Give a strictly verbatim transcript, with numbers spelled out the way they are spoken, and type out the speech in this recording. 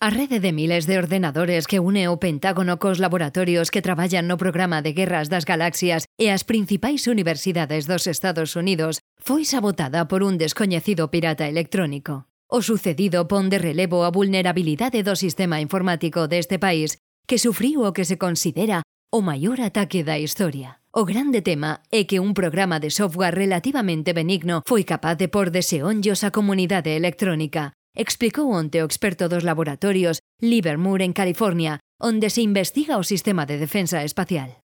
A rede de miles de ordenadores que une o Pentágono cos laboratorios que traballan no programa de guerras das galaxias e as principais universidades dos Estados Unidos foi sabotada por un descoñecido pirata electrónico. O sucedido pon de relevo a vulnerabilidade do sistema informático deste país que sufriu o que se considera o maior ataque da historia. O grande tema é que un programa de software relativamente benigno foi capaz de pôr deseonllos á comunidade electrónica, explicou onte o experto dos laboratorios Livermore en California, onde se investiga o sistema de defensa espacial.